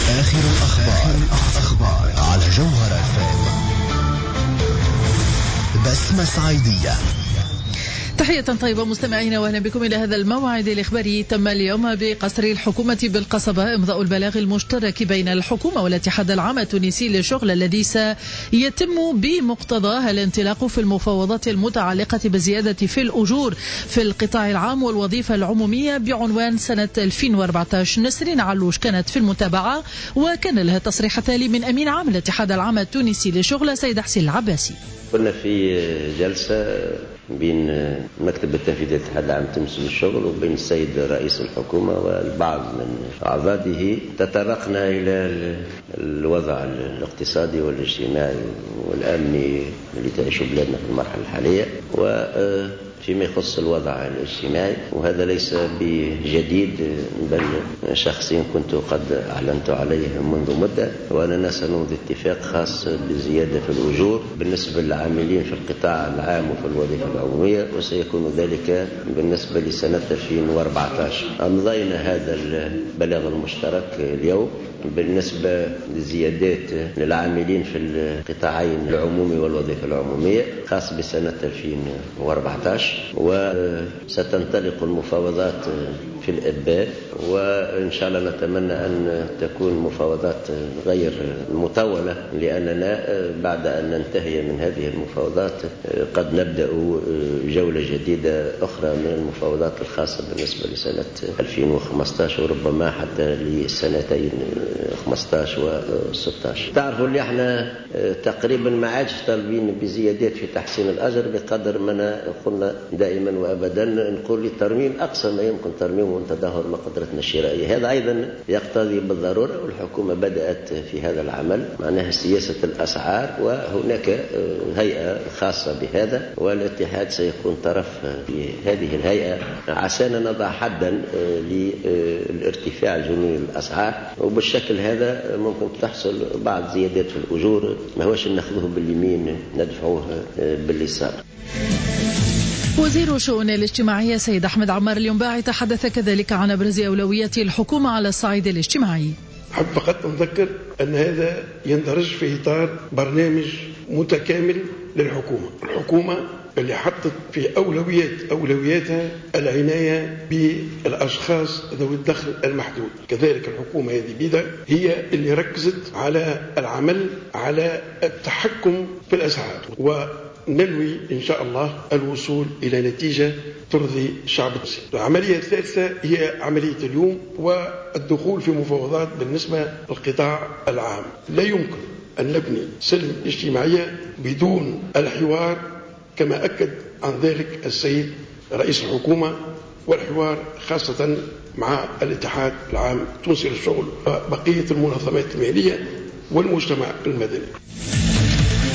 آخر الأخبار على جوهرة FM. بسمة سعيدية. تحية طيبة مستمعينا، واهلا بكم الى هذا الموعد الاخباري. تم اليوم بقصر الحكومة بالقصبة امضاء البلاغ المشترك بين الحكومة والاتحاد العام التونسي للشغل الذي سيتم بمقتضاه الانطلاق في المفاوضات المتعلقة بالزيادة في الاجور في القطاع العام والوظيفة العمومية بعنوان سنة 2014. نسرين علوش كانت في المتابعة وكان لها تصريح تالي من امين عام الاتحاد العام التونسي للشغل سيد حسين العباسي. كنا في جلسة بين مكتب التنفيذي للاتحاد العام التونسي للشغل وبين السيد رئيس الحكومة والبعض من أعضائه، تطرقنا إلى الوضع الاقتصادي والاجتماعي والأمني اللي تعيشه بلادنا في المرحلة الحالية، وفيما يخص الوضع الاجتماعي، وهذا ليس بجديد بل شخصيا كنت قد أعلنت عليه منذ مدة، وأننا سنمضي اتفاق خاص بزيادة في الأجور بالنسبة للعاملين في القطاع العام وفي الوظيفة العمومية، وسيكون ذلك بالنسبة لسنة 2014. أمضينا هذا البلاغ المشترك اليوم بالنسبة لزيادات للعاملين في القطاعين العمومي والوظيفة العمومية خاص بسنة 2014، وستنطلق المفاوضات في الإبان، وإن شاء الله نتمنى أن تكون مفاوضات غير مطولة، لأننا بعد أن ننتهي من هذه المفاوضات قد نبدأ جولة جديدة أخرى من المفاوضات الخاصة بالنسبة لسنة 2015 وربما حتى لسنتين 15 و16. تعرفوا اللي احنا تقريبا ما عادش طالبين بزيادات في تحسين الأجر بقدر ما قلنا دائما وأبدا، نقول للترميم أقصى ما يمكن ترميمه وتدهور مقدرتنا الشرائية. هذا أيضا يقتضي بالضرورة، والحكومة بدأت في هذا العمل، معناها سياسة الأسعار، وهناك هيئة خاصة بهذا، والاتحاد سيكون طرف في هذه الهيئة عسانا نضع حدا للارتفاع الجنوني للأسعار، وبالشكل هذا ممكن تحصل بعض زيادات في الأجور، ما هوش ناخذوه باليمين ندفعوه باليسار. وزير الشؤون الاجتماعية سيد أحمد عمار الينباعي تحدث كذلك عن أبرز أولويات الحكومة على الصعيد الاجتماعي. أحب فقط نذكر أن هذا يندرج في إطار برنامج متكامل للحكومة، الحكومة اللي حطت في أولوياتها العناية بالأشخاص ذوي الدخل المحدود. كذلك الحكومة هذه بيدا هي اللي ركزت على العمل على التحكم في الأسعار، وننوي إن شاء الله الوصول إلى نتيجة ترضي الشعب التونسي. العملية الثالثة هي عملية اليوم والدخول في مفاوضات بالنسبة للقطاع العام. لا يمكن أن نبني سلم اجتماعية بدون الحوار، كما أكد عن ذلك السيد رئيس الحكومة، والحوار خاصة مع الاتحاد العام التونسي للشغل وبقية المنظمات المهنية والمجتمع المدني.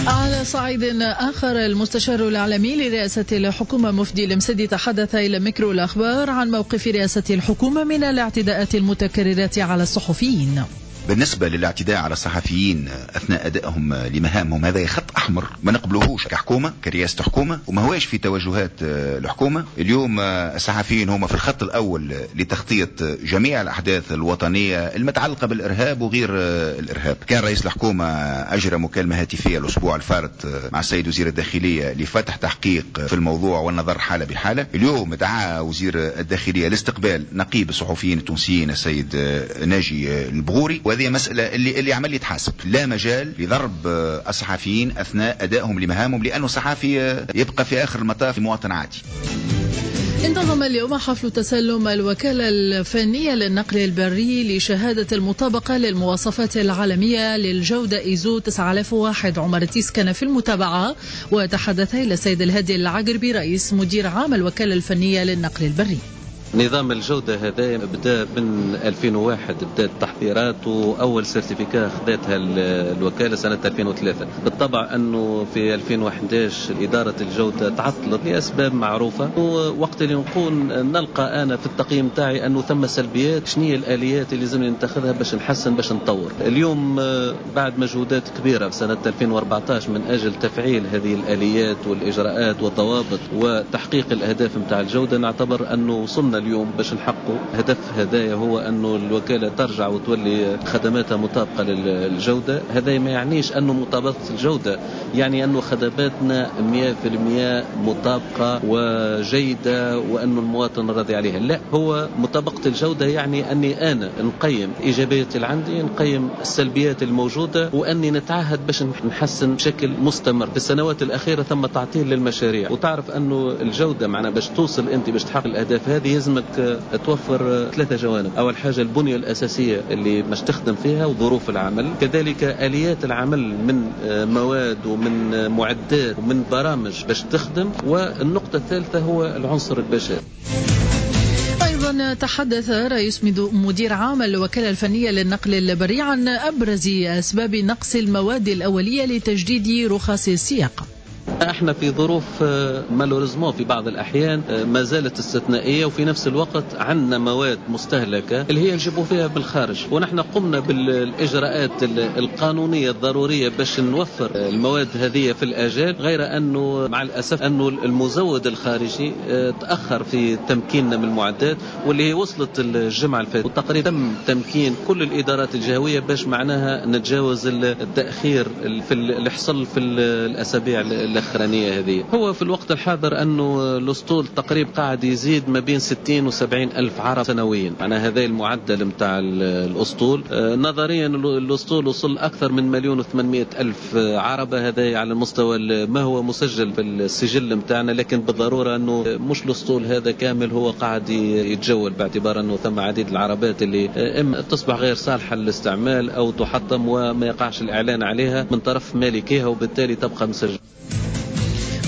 على صعيد آخر، المستشار الإعلامي لرئاسة الحكومة مفدي المسدي تحدث إلى ميكرو الأخبار عن موقف رئاسة الحكومة من الاعتداءات المتكررة على الصحفيين. بالنسبة للاعتداء على الصحفيين أثناء أدائهم لمهامهم، هذا خط أحمر ما نقبلوهوش كحكومة، كرئاسة حكومة، وما هواش في توجهات الحكومة. اليوم الصحفيين هم في الخط الأول لتغطية جميع الأحداث الوطنية المتعلقة بالإرهاب وغير الإرهاب. كان رئيس الحكومة أجرى مكالمة هاتفية الأسبوع الفارط مع السيد وزير الداخلية لفتح تحقيق في الموضوع والنظر حالة بحالة. اليوم دعا وزير الداخلية لاستقبال نقيب الصحفيين التونسيين السيد ناجي البغوري، وهذه مسألة اللي عمل يتحاسب. لا مجال لضرب الصحفيين أثناء أدائهم لمهامهم، لأنه الصحفي يبقى في آخر المطاف مواطن عادي. انتظم اليوم حفل تسلم الوكالة الفنية للنقل البري لشهادة المطابقة للمواصفات العالمية للجودة إيزو 9001. عمر تيس كان في المتابعة وتحدث إلى السيد الهادي العقربي رئيس مدير عام الوكالة الفنية للنقل البري. نظام الجودة هذا بدأ من 2001، بدأت التحضيرات، وأول certificat خذتها الوكالة سنة 2003. بالطبع أنه في 2011 إدارة الجودة تعطلت لأسباب معروفة، ووقت اللي نقول نلقى أنا في التقييم تاعي أنه ثم سلبيات، شنو هي الآليات اللي لازم نتخذها باش نحسن باش نطور. اليوم بعد مجهودات كبيرة في سنة 2014 من أجل تفعيل هذه الآليات والإجراءات والضوابط وتحقيق الأهداف متاع الجودة، نعتبر أنه وصلنا اليوم باش نحققوا هدف هذايا، هو أنه الوكالة ترجع وتولي خدماتها مطابقة للجودة. هذا ما يعنيش أنه مطابقة الجودة يعني أنه خدماتنا 100% مطابقة وجيدة وأنه المواطن راضي عليها، لا، هو مطابقة الجودة يعني أني أنا نقيم إيجابيات اللي عندي، نقيم السلبيات الموجودة، وأني نتعهد باش نحسن بشكل مستمر. في السنوات الأخيرة ثم تعطيل للمشاريع، وتعرف أنه الجودة معنا باش توصل أنت باش تحقق الأهداف هذه يلزمك توفر 3 جوانب. أول حاجة البنية الأساسية اللي باش تخدم فيها وظروف العمل، كذلك آليات العمل من مواد ومن معدات ومن برامج باش تخدم، والنقطة الثالثة هو العنصر البشري. أيضا تحدث رئيس مدير عام الوكالة الفنية للنقل البري عن أبرز أسباب نقص المواد الأولية لتجديد رخص السياقة. احنا في ظروف malheureusement في بعض الأحيان ما زالت استثنائية، وفي نفس الوقت عندنا مواد مستهلكة اللي هي نجيبوا فيها بالخارج، ونحن قمنا بالإجراءات القانونية الضرورية باش نوفر المواد هذه في الآجال، غير أنه مع الأسف أنه المزود الخارجي تأخر في تمكيننا من المعدات واللي هي وصلت الجمعة الفاتت، وتقريبا تم تمكين كل الإدارات الجهوية باش معناها نتجاوز التأخير في اللي حصل في الأسابيع الأخرانية هذه. هو في الوقت الحاضر أنه الأسطول تقريبا قاعد يزيد ما بين 60 و70 ألف عرب سنويا، معناها هذا المعدل متاع الأسطول. نظريا الأسطول وصل أكثر من 1,800,000 عربة، هذا على المستوى ما هو مسجل في السجل متاعنا، لكن بالضرورة أنه مش الأسطول هذا كامل هو قاعد يتجول، باعتبار أنه ثم عديد العربات اللي إما تصبح غير صالحة للاستعمال أو تحطم وما يقعش الإعلان عليها من طرف مالكيها، وبالتالي تبقى مسجلة.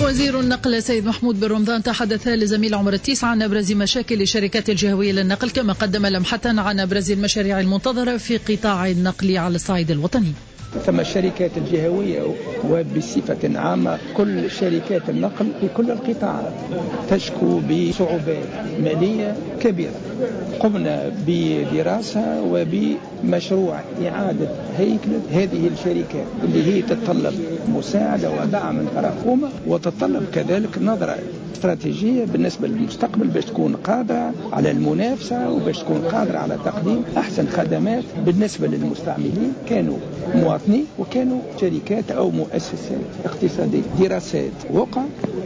وزير النقل سيد محمود بن رمضان تحدث لزميل عمر التيس عن أبرز مشاكل الشركات الجهوية للنقل، كما قدم لمحة عن أبرز المشاريع المنتظرة في قطاع النقل على الصعيد الوطني. ثم الشركات الجهوية وبصفة عامة كل شركات النقل في كل القطاعات تشكو بصعوبات مالية كبيرة. قمنا بدراسة وبمشروع إعادة هيكلة هذه الشركات اللي هي تتطلب مساعدة ودعم من طرف الحكومة، وتتطلب كذلك نظرة استراتيجية بالنسبة للمستقبل باش تكون قادرة على المنافسة وباش تكون قادرة على تقديم أحسن خدمات بالنسبة للمستعملين، كانوا مواطنين وكانوا شركات أو مؤسسات اقتصادية. دراسات وقع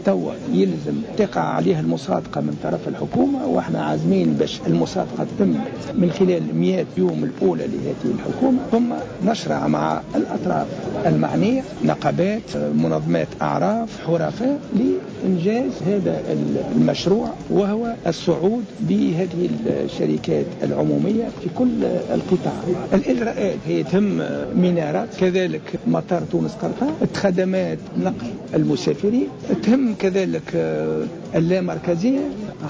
توا يلزم تقع عليها المصادقة من طرف الحكومة، واحنا عازمين باش المصادقة تتم من خلال 100 يوم الأولى لهذه الحكومة، ثم نشرع مع الأطراف المعنية، نقابات، منظمات أعراف، حرفاء، لإنجاز هذا المشروع وهو الصعود بهذه الشركات العمومية في كل القطاع. الإجراءات هي تهم منارات، كذلك مطار تونس قرطاج، خدمات نقل المسافرين، تهم كذلك اللامركزية.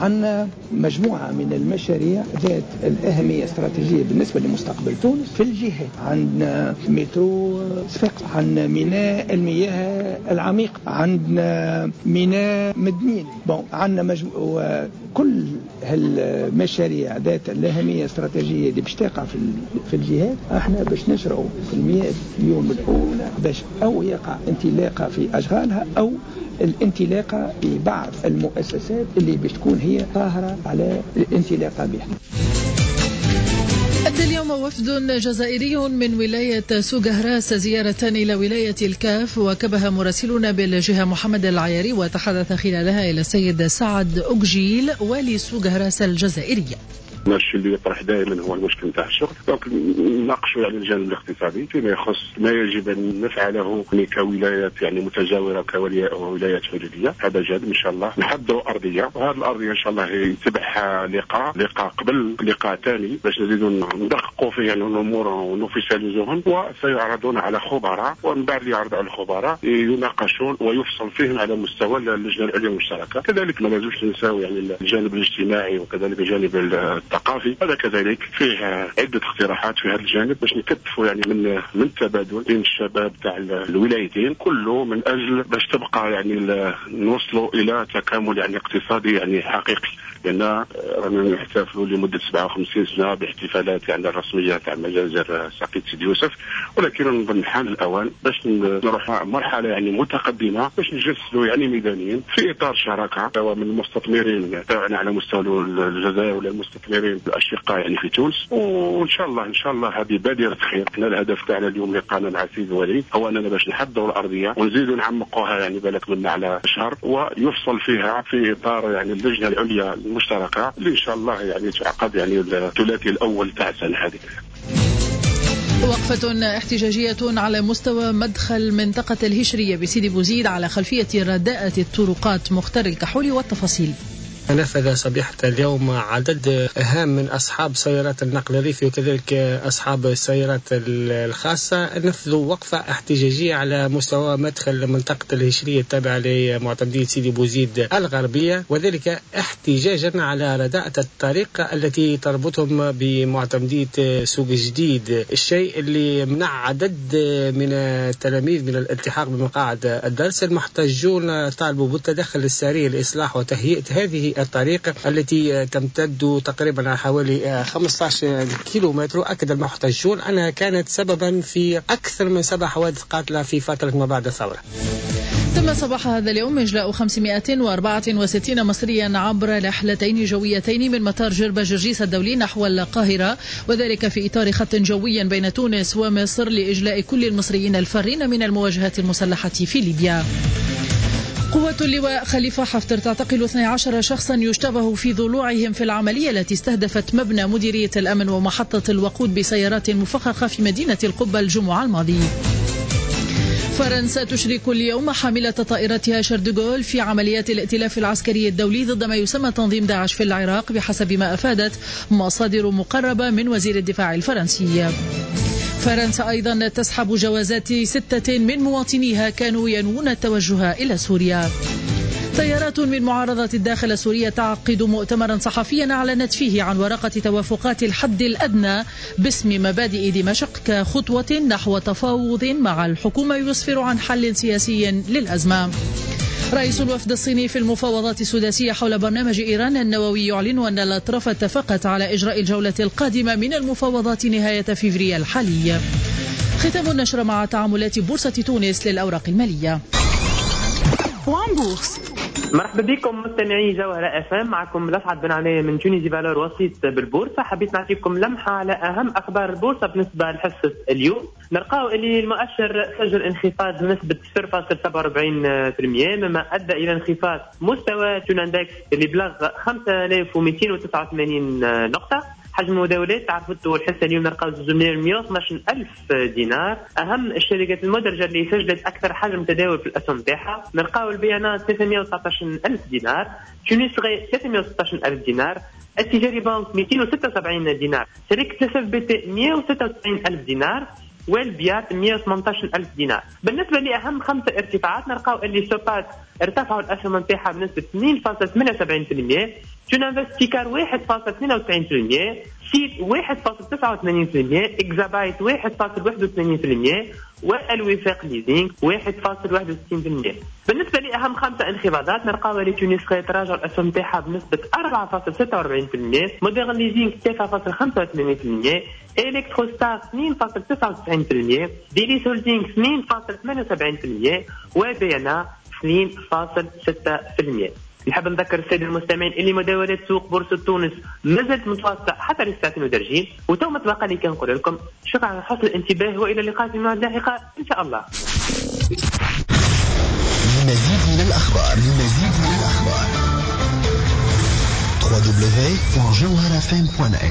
عندنا مجموعة من المشاريع ذات الأهمية الاستراتيجية بالنسبة لمستقبل تونس في الجهات. عندنا مترو صفاقس، عندنا ميناء المياه العميق، عندنا ميناء مدنين، عندنا كل هالمشاريع ذات الأهمية الاستراتيجية اللي باش تقع في الجهات، احنا باش نشرعوا في 100 يوم الأولى باش أو يقع انطلاقة في أشغالها أو الانطلاقة في بعض المؤسسات اللي باش تكون هي طاهرة على الانطلاقة بها. أدى اليوم وفد جزائري من ولاية سوق هراس زيارة إلى ولاية الكاف، وكبها مراسلنا بالجهة محمد العياري، وتحدث خلالها إلى السيد سعد أوكجيل والي سوق هراس الجزائرية. الشيء اللي يطرح دائما هو المشكل نتاع الشغل، donc نناقشوا يعني الجانب الاقتصادي فيما يخص ما يجب ان نفعله كولايات يعني متجاوره كولايات حدوديه. هذا جانب ان شاء الله نحضروا ارضية، وهذه الارضية ان شاء الله يتبعها لقاء قبل لقاء ثاني باش نزيدوا ندققوا فيه يعني الامور ونوفيساليزوهم، وسيعرضون على خبراء، ومن بعد يعرض على الخبراء يناقشون ويفصل فيهم على مستوى اللجنة العليا المشتركة. كذلك ما لازمش ننساو يعني الجانب الاجتماعي وكذلك الجانب الثقافي، هذا كذلك فيه عدة اقتراحات في هذا الجانب باش نكثفوا يعني من التبادل بين الشباب تاع الولايتين، كله من اجل باش تبقى يعني نوصلوا الى تكامل يعني اقتصادي يعني حقيقي. لان رانا نحتفلوا لمدة 57 سنة باحتفالات يعني الرسمية تاع مجازر ساقية سيدي يوسف، ولكن نظن حان الاوان باش نروح مرحلة يعني متقدمة باش نجسدوا يعني ميدانيا في اطار شراكة سواء من المستثمرين تاعنا على مستوى الجزائر ولا المستثمرين الاشقاء يعني في تونس. وان شاء الله ان شاء الله هذه بادره خير. احنا الهدف تاعنا اليوم لقانا مع السيد الوالي هو اننا باش نحضروا الارضية ونزيدوا نعمقوها يعني بالك منا على شهر، ويفصل فيها في اطار يعني اللجنة العليا المشتركة اللي ان شاء الله يعني تعقد يعني الثلاثي الاول تاع السنة هذه. وقفة احتجاجية على مستوى مدخل منطقة الهشرية بسيدي بوزيد على خلفية رداءة الطرقات. مختار الكحولي والتفاصيل. نفذ صبيحة اليوم عدد هام من أصحاب سيارات النقل الريفي وكذلك أصحاب السيارات الخاصة، نفذوا وقفة احتجاجية على مستوى مدخل منطقة الهشرية التابعة لمعتمدية سيدي بوزيد الغربية، وذلك احتجاجا على رداءة الطريق التي تربطهم بمعتمدية سوق جديد، الشيء اللي منع عدد من التلاميذ من الالتحاق بمقاعد الدرس. المحتجون طالبوا بالتدخل السريع لإصلاح وتهيئة هذه الطريق التي تمتد تقريبا على حوالي 15 كيلومتر. أكد المحتجون أنها كانت سببا في أكثر من 7 حوادث قاتلة في فترة ما بعد الثورة. تم صباح هذا اليوم إجلاء 564 مصريا عبر رحلتين جويتين من مطار جربة جرجيس الدولي نحو القاهرة، وذلك في إطار خط جوي بين تونس ومصر لإجلاء كل المصريين الفارين من المواجهات المسلحة في ليبيا. قوة اللواء خليفة حفتر تعتقل 12 شخصا يشتبه في ضلوعهم في العملية التي استهدفت مبنى مديرية الأمن ومحطة الوقود بسيارات مفخخة في مدينة القبة الجمعة الماضي. فرنسا تشرك اليوم حاملة طائرتها شاردوغول في عمليات الائتلاف العسكري الدولي ضد ما يسمى تنظيم داعش في العراق، بحسب ما أفادت مصادر مقربة من وزير الدفاع الفرنسي. فرنسا أيضا تسحب جوازات 6 من مواطنيها كانوا ينوون التوجه إلى سوريا. تيارات من معارضة الداخل السورية تعقد مؤتمرا صحفيا أعلنت فيه عن ورقة توافقات الحد الأدنى باسم مبادئ دمشق كخطوة نحو تفاوض مع الحكومة يسفر عن حل سياسي للأزمة. رئيس الوفد الصيني في المفاوضات السداسية حول برنامج إيران النووي يعلن أن الأطراف اتفقت على إجراء الجولة القادمة من المفاوضات نهاية فبراير الحالي. ختام النشرة مع تعاملات بورصة تونس للأوراق المالية. مرحبا بكم مستمعي جوهرة اف ام، معكم لسعد بن علي من Tunisie Valeurs وسيط بالبورصة. حبيت نعطيكم لمحة على أهم أخبار البورصة بالنسبة لحصة اليوم. نلقاو اللي المؤشر سجل انخفاض بنسبة 0.47%، مما أدى إلى انخفاض مستوى Tunindex اللي بلغ 5289 نقطة. حجم المداولات تعرفتوا الحصة اليوم نلقاو 112 ألف دينار. أهم الشركات المدرجة اللي سجلت أكثر حجم تداول في الأسهم تاعها نلقاو البيانات 319 ألف دينار، تونس غي 316 ألف دينار، التجاري بنك 276 دينار، شركة SFBT 196 ألف دينار، والبيات 118 ألف دينار. بالنسبة لأهم 5 ارتفاعات نلقاو اللي سوبات ارتفعوا الأسهم نتاعها بنسبة 2.78%، تونانفست 1.92%، سيت 1.89%، اكزابايت 1.81%، والوفاق ليزينغ 1.61%. بالنسبة لأهم 5 انخفاضات نلقاو اللي تونس تراجع الأسهم نتاعها بنسبة 4.46%، مودرن ليزينغ 3.85%، إلكتروستار 2.99%، ديليس هولدينغ 2.78%، وبيانا 2.6%. نحب نذكر السادة المستمعين اللي مداولات سوق بورصة تونس مازالت متواصلة حتى للساعتين ودرجين، وتو ما تبقى لي كنقول لكم شكرا على حسن الانتباه والى اللقاء في موعد لاحقة ان شاء الله. لمزيد من الاخبار www.jawharafm.net.